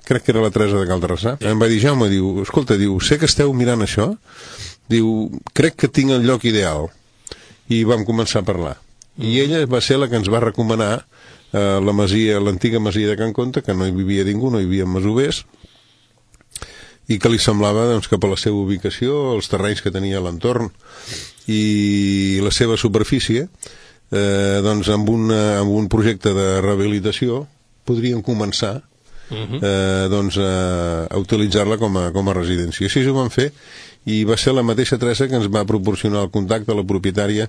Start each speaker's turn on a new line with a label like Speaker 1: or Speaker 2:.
Speaker 1: crec que era la Teresa de Calderrassà, em va dir, Jaume, diu, escolta, diu, sé que esteu mirant això, diu, crec que tinc el lloc ideal. I vam començar a parlar. I ella va ser la que ens va recomanar la masia, l'antiga masia de Can Conte, que no hi vivia ningú, no hi havia masovers, i que li semblava doncs, que per la seva ubicació, els terrenys que tenia a l'entorn i la seva superfície, doncs amb un projecte de rehabilitació podrien començar doncs, a utilitzar-la com a residència. Així ho van fer, i va ser la mateixa Teresa que ens va proporcionar el contacte a la propietària